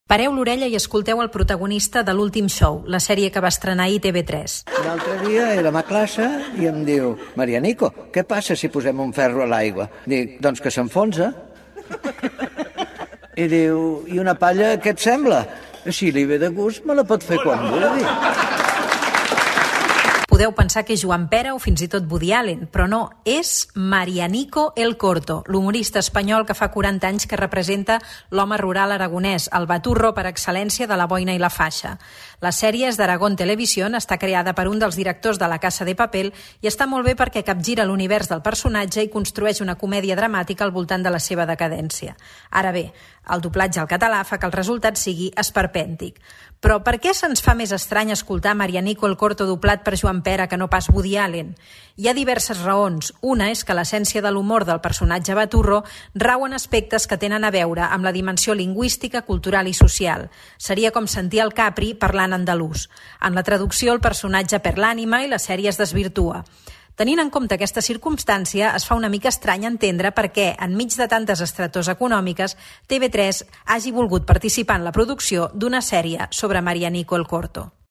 Pareu l'orella i escolteu el protagonista de l'últim show, la sèrie que va estrenar ahir TV3. L'altre dia érem a classe i em diu: Marianico, què passa si posem un ferro a l'aigua? Dic: doncs que s'enfonsa. I diu: i una palla, què et sembla? Si li ve de gust, me la pot fer quan vulgui. Podeu pensar que és Joan Pera o fins i tot Woody Allen, però no, és Marianico el Corto, l'humorista espanyol que fa 40 anys que representa l'home rural aragonès, el baturro per excel·lència de la boina i la faixa. La sèrie és d'Aragón Televisión, està creada per un dels directors de La Casa de Papel i està molt bé perquè capgira l'univers del personatge i construeix una comèdia dramàtica al voltant de la seva decadència. Ara bé, el doblatge al català fa que el resultat sigui esperpèntic. Però per què se'ns fa més estrany escoltar Marianico el Corto doblat per Joan Pera que no pas Woody Allen? Hi ha diverses raons. Una és que l'essència de l'humor del personatge baturro rau en aspectes que tenen a veure amb la dimensió lingüística, cultural i social. Seria com sentir el Capri parlant andalús. En la traducció, el personatge perd l'ànima i la sèrie es desvirtua. Tenint en compte aquesta circumstància, es fa una mica estrany entendre per què, enmig de tantes estretors econòmiques, TV3 hagi volgut participar en la producció d'una sèrie sobre Marianico el Corto.